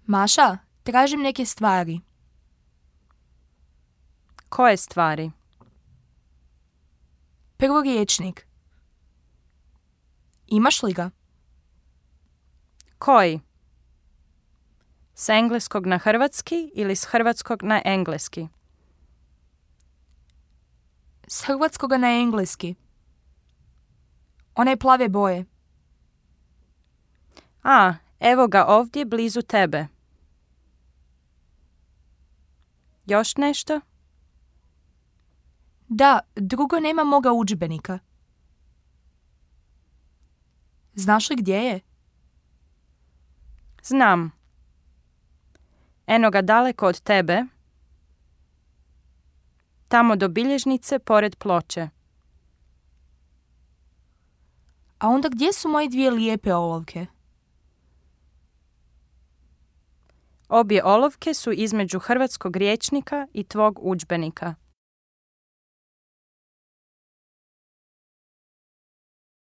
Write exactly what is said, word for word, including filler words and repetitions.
Maša, tražim neke stvari. Koje stvari? Prvo riječnik. Imaš li ga? Koji? S engleskog na hrvatski ili s hrvatskog na engleski? S hrvatskoga na engleski. One plave boje. A, evo ga ovdje blizu tebe. Još nešto? Da, drugo nema moga udžbenika. Znaš li gdje je? Znam. Eno ga daleko od tebe. Tamo do bilježnice pored ploče. A onda gdje su moje dvije lijepe olovke? Obje olovke su između hrvatskog rječnika i tvog udžbenika.